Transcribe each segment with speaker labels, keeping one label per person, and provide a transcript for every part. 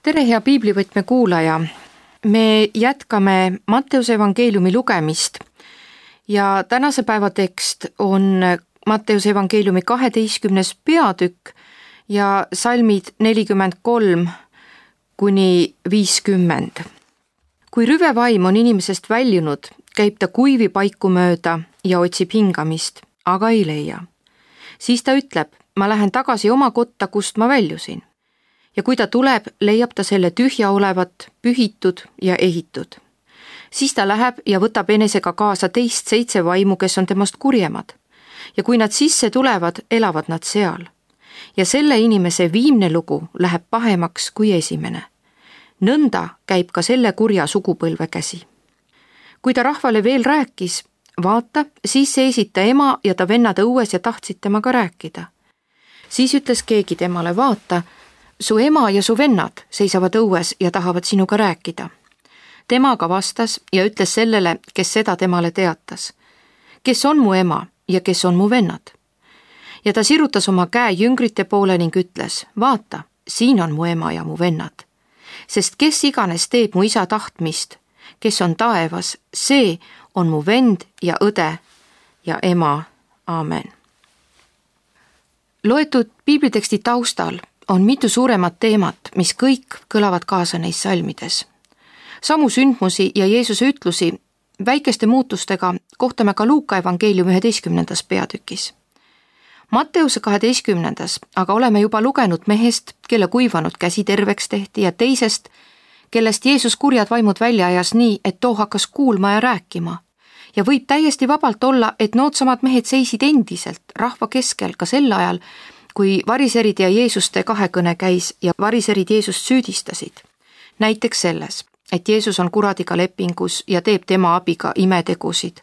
Speaker 1: tere, hea piiblivõtme kuulaja! Me jätkame Matteuse evangeeliumi lugemist ja tänase päeva tekst on Matteuse evangeeliumi 12. peatükk ja salmid 43 kuni 50. Kui rüvevaim on inimesest väljunud, käib ta kuivi paiku mööda ja otsib hingamist, aga ei leia. Siis ta ütleb, ma lähen tagasi oma kotta, kust ma väljusin. Ja kui ta tuleb, leiab ta selle tühja olevat, pühitud ja ehitud. Siis ta läheb ja võtab enesega kaasa teist 7 vaimu, kes on temast kurjemad. Ja kui nad sisse tulevad, elavad nad seal. Ja selle inimese viimne lugu läheb pahemaks kui esimene. Nõnda käib ka selle kurja sugupõlve käsi. Kui ta rahvale veel rääkis, vaata, siis seisid ta ema ja ta vennad õues ja tahtsid temaga rääkida. Siis ütles keegi temale, vaata, su ema ja su vennad seisavad õues ja tahavad sinuga rääkida. Temaga vastas ja ütles sellele, kes seda temale teatas. Kes on mu ema ja kes on mu vennad? Ja ta sirutas oma käe jüngrite poole ning ütles, vaata, siin on mu ema ja mu vennad. Sest kes iganes teeb mu isa tahtmist, kes on taevas, see on mu vend ja õde ja ema. Aamen. Loetud piibliteksti taustal on mitu suuremat teemat, mis kõik kõlavad kaasa neis salmides. Samu sündmusi ja Jeesuse ütlusi väikeste muutustega kohtame ka Luuka evangeeliumi 11. peatükis. Matteuse 12. aga oleme juba lugenud mehest, kelle kuivanud käsi terveks tehti ja teisest, kellest Jeesus kurjad vaimud välja ajas nii, et too hakkas kuulma ja rääkima. Ja võib täiesti vabalt olla, et noodsamad mehed seisid endiselt rahva keskel ka sel ajal, kui variserid ja Jeesuste kahekõne käis ja variserid Jeesust süüdistasid. Näiteks selles, et Jeesus on kuradiga lepingus ja teeb tema abiga imetegusid.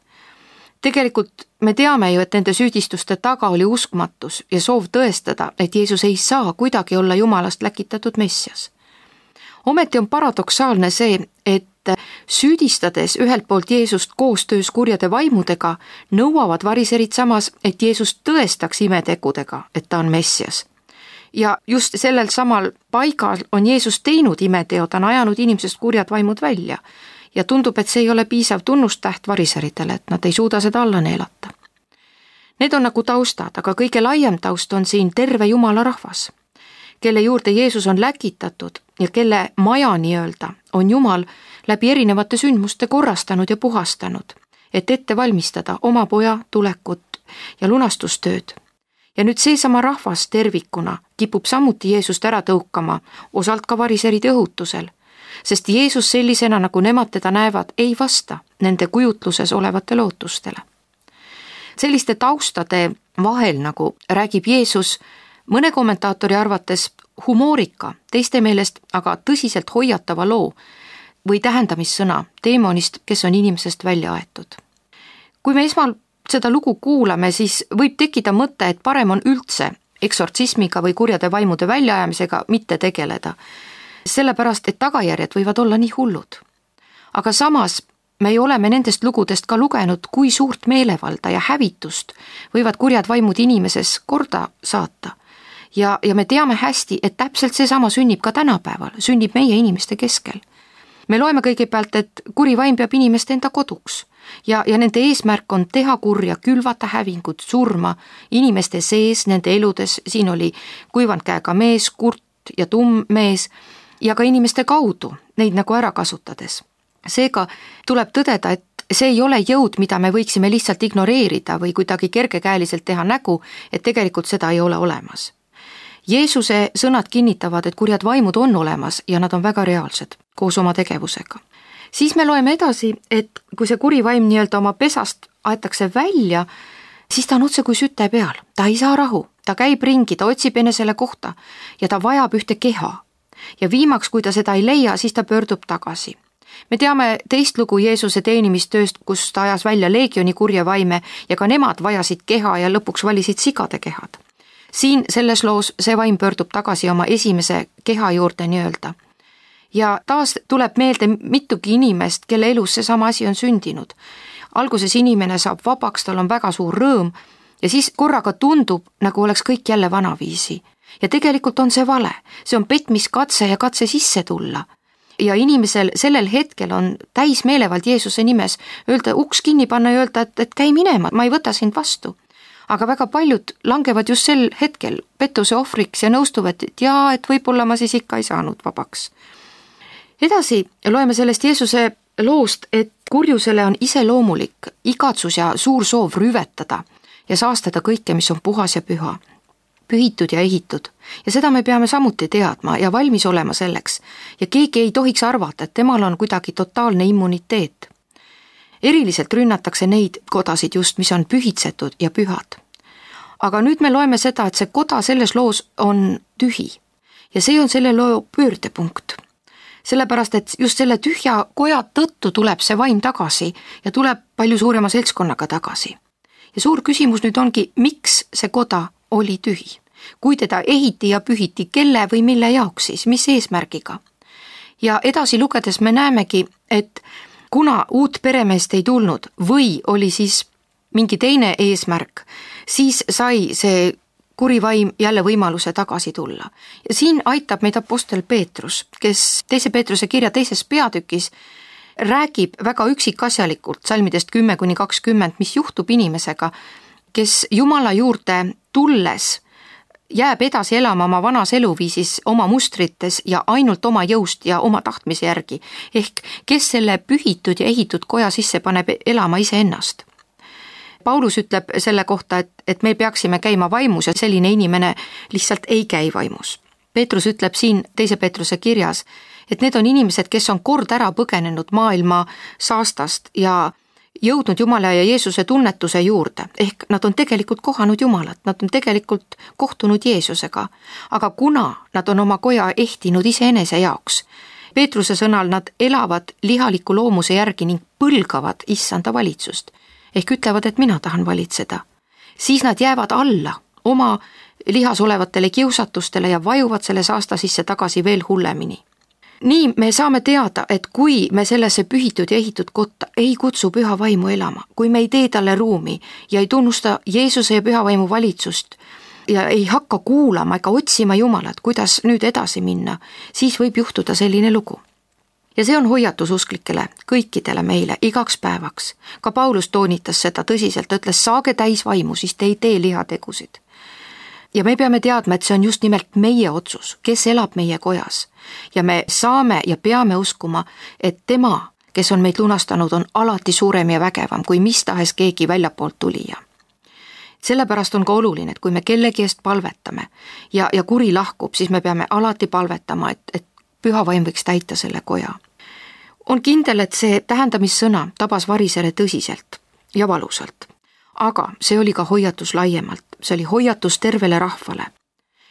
Speaker 1: Tegelikult me teame ju, et nende süüdistuste taga oli uskmatus ja soov tõestada, et Jeesus ei saa kuidagi olla Jumalast läkitatud messias. Ometi on paradoksaalne see, et süüdistades ühelt poolt Jeesust koostöös kurjade vaimudega, nõuavad variserid samas, et Jeesus tõestaks imetegudega, et ta on messias. Ja just sellel samal paigal on Jeesus teinud imeteo, ta on ajanud inimesest kurjad vaimud välja. Ja tundub, et see ei ole piisav tunnustäht variseritele, et nad ei suuda seda alla neelata. Need on nagu taustad, aga kõige laiem taust on siin terve Jumala rahvas, kelle juurde Jeesus on läkitatud ja kelle maja nii-öelda on Jumal läbi erinevate sündmuste korrastanud ja puhastanud, et ette valmistada oma poja tulekut ja lunastustööd. Ja nüüd seesama rahvas tervikuna kipub samuti Jeesust ära tõukama, osalt ka variseride õhutusel, sest Jeesus sellisena, nagu nemad teda näevad, ei vasta nende kujutluses olevate lootustele. Selliste taustade vahel, nagu räägib Jeesus, mõne kommentaatori arvates humoorika, teiste meelest aga tõsiselt hoiatava loo või tähendamissõna teemonist, kes on inimesest välja aetud. Kui me esmal seda lugu kuulame, siis võib tekkida mõte, et parem on üldse eksortsismiga või kurjade vaimude väljaajamisega mitte tegeleda, sellepärast, et tagajärjed võivad olla nii hullud. Aga samas me oleme nendest lugudest ka lugenud, kui suurt meelevalda ja hävitust võivad kurjad vaimud inimeses korda saata. Ja me teame hästi, et täpselt seesama sünnib ka tänapäeval, sünnib meie inimeste keskel. Me loeme kõigepealt, et kuri vaim peab inimeste enda koduks ja nende eesmärk on teha kurja, külvata hävingut, surma inimeste sees, nende eludes, siin oli kuivanud käega mees, kurt ja tumm mees ja ka inimeste kaudu, neid nagu ära kasutades. Seega tuleb tõdeda, et see ei ole jõud, mida me võiksime lihtsalt ignoreerida või kuidagi kergekäeliselt teha nägu, et tegelikult seda ei ole olemas. Jeesuse sõnad kinnitavad, et kurjad vaimud on olemas ja nad on väga reaalsed koos oma tegevusega. Siis me loeme edasi, et kui see kuri vaim nii-öelda oma pesast aetakse välja, siis ta on otse kui süte peal. Ta ei saa rahu, ta käib ringi, ta otsib enesele kohta ja ta vajab ühte keha. Ja viimaks, kui ta seda ei leia, siis ta pöördub tagasi. Me teame teist lugu Jeesuse teenimistööst, kus ta ajas välja leegioni kurje vaime ja ka nemad vajasid keha ja lõpuks valisid sigade kehad. Siin selles loos see vaim pöördub tagasi oma esimese keha juurde nii-öelda. Ja taas tuleb meelde mitugi inimest, kelle elus seesama asi on sündinud. Alguses inimene saab vabaks, tal on väga suur rõõm ja siis korraga tundub, nagu oleks kõik jälle vanaviisi. ja tegelikult on see vale, see on petmiskatse ja katse sisse tulla. Ja inimesel sellel hetkel on täis meelevald Jeesuse nimes öelda, uks kinni panna ja öelda, et käi minema, ma ei võta sind vastu. Aga väga paljud langevad just sel hetkel pettuse ohvriks ja nõustuvad, et võib-olla ma siis ikka ei saanud vabaks. Edasi loeme sellest Jeesuse loost, et kurjusele on iseloomulik igatsus ja suur soov rüvetada ja saastada kõike, mis on puhas ja püha, pühitud ja ehitud. Ja seda me peame samuti teadma ja valmis olema selleks. Ja keegi ei tohiks arvata, et temal on kuidagi totaalne immuniteet. Eriliselt rünnatakse neid kodasid just, mis on pühitsetud ja pühad. Aga nüüd me loeme seda, et see koda selles loos on tühi. Ja see on selle loo pöördepunkt. Sellepärast, et just selle tühja koja tõttu tuleb see vaim tagasi ja tuleb palju suurema seltskonnaga tagasi. Ja suur küsimus nüüd ongi, miks see koda oli tühi? Kui teda ehiti ja pühiti, kelle või mille jaoks siis, mis eesmärgiga? Ja edasi lugedes me näemegi, et kuna uut peremeest ei tulnud või oli siis mingi teine eesmärk, siis sai see kuri vaim jälle võimaluse tagasi tulla. Ja siin aitab meid apostel Peetrus, kes 2. Peetruse kirja 2. peatükis räägib väga üksikasjalikult salmidest 10-20, mis juhtub inimesega, kes Jumala juurde tulles jääb edasi elama oma vanas eluviisis, oma mustrites ja ainult oma jõust ja oma tahtmise järgi, ehk kes selle pühitud ja ehitud koja sisse paneb elama iseennast. Paulus ütleb selle kohta, et me peaksime käima vaimus ja selline inimene lihtsalt ei käi vaimus. Peetrus ütleb siin 2. Peetruse kirjas, et need on inimesed, kes on kord ära põgenenud maailma saastast ja jõudnud Jumala ja Jeesuse tunnetuse juurde, ehk nad on tegelikult kohanud Jumalat, nad on tegelikult kohtunud Jeesusega, aga kuna nad on oma koja ehtinud iseenese jaoks, Peetruse sõnal nad elavad lihaliku loomuse järgi ning põlgavad issanda valitsust, ehk ütlevad, et mina tahan valitseda, siis nad jäävad alla oma lihas olevatele kiusatustele ja vajuvad selle saasta sisse tagasi veel hullemini. Nii me saame teada, et kui me sellesse pühitud ja ehitud kotta ei kutsu püha vaimu elama, kui me ei tee talle ruumi ja ei tunnusta Jeesuse ja püha vaimu valitsust ja ei hakka kuulama ega otsima Jumalat, kuidas nüüd edasi minna, siis võib juhtuda selline lugu. Ja see on hoiatus usklikele, kõikidele meile, igaks päevaks. Ka Paulus toonitas seda tõsiselt, ütles, saage täis vaimu, siis te ei tee lihategusid. Ja me peame teadma, et see on just nimelt meie otsus, kes elab meie kojas. Ja me saame ja peame uskuma, et tema, kes on meid lunastanud, on alati suurem ja vägevam kui mis tahes keegi väljapoolt tulija. Sellepärast on ka oluline, et kui me kellegi eest palvetame ja kuri lahkub, siis me peame alati palvetama, et püha vaim võiks täita selle koja. On kindel, et see tähendamissõna tabas varisele tõsiselt ja valusalt. Aga see oli ka hoiatus laiemalt, see oli hoiatus tervele rahvale.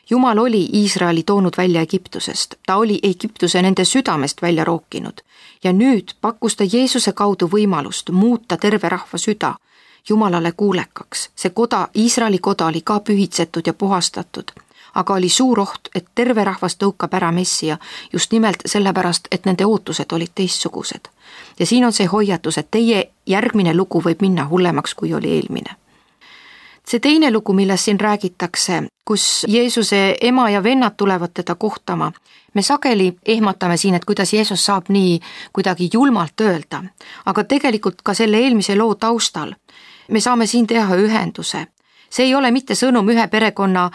Speaker 1: Jumal oli Iisraeli toonud välja Egiptusest, ta oli Egiptuse nende südamest välja rookinud ja nüüd pakkus ta Jeesuse kaudu võimalust muuta terve rahva süda Jumalale kuulekaks. See koda, Iisraeli koda oli ka pühitsetud ja puhastatud, aga oli suur oht, et terve rahvas tõukab ära Messia just nimelt sellepärast, et nende ootused olid teistsugused. Ja siin on see hoiatus, et teie järgmine lugu võib minna hullemaks, kui oli eelmine. See teine lugu, millest siin räägitakse, kus Jeesuse ema ja vennad tulevad teda kohtama, me sageli ehmatame siin, et kuidas Jeesus saab nii kuidagi julmalt öelda, aga tegelikult ka selle eelmise loo taustal me saame siin teha ühenduse. See ei ole mitte sõnum ühe perekonna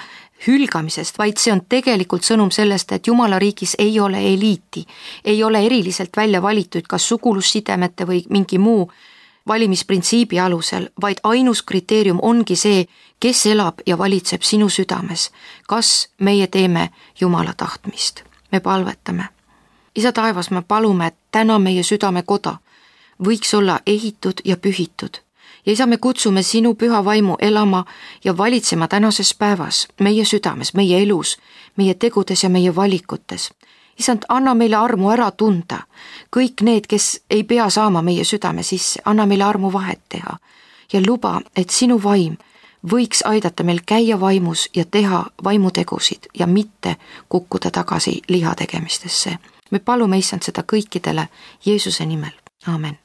Speaker 1: hülgamisest, vaid see on tegelikult sõnum sellest, et Jumala riigis ei ole eliiti, ei ole eriliselt välja valitud kas sugulussidemete või mingi muu valimisprintsiibi alusel, vaid ainus kriteerium ongi see, kes elab ja valitseb sinu südames. Kas meie teeme Jumala tahtmist? Me palvetame. Isa taevas, me palume, et täna meie südamekoda võiks olla ehitud ja pühitud. Ja isa, me kutsume sinu püha vaimu elama ja valitsema tänases päevas meie südames, meie elus, meie tegudes ja meie valikutes. Isand, anna meile armu ära tunda. Kõik need, kes ei pea saama meie südame sisse, anna meile armu vahet teha. Ja luba, et sinu vaim võiks aidata meil käia vaimus ja teha vaimutegusid ja mitte kukkuda tagasi liha tegemistesse. Me palume, Issand, seda kõikidele Jeesuse nimel. Aamen.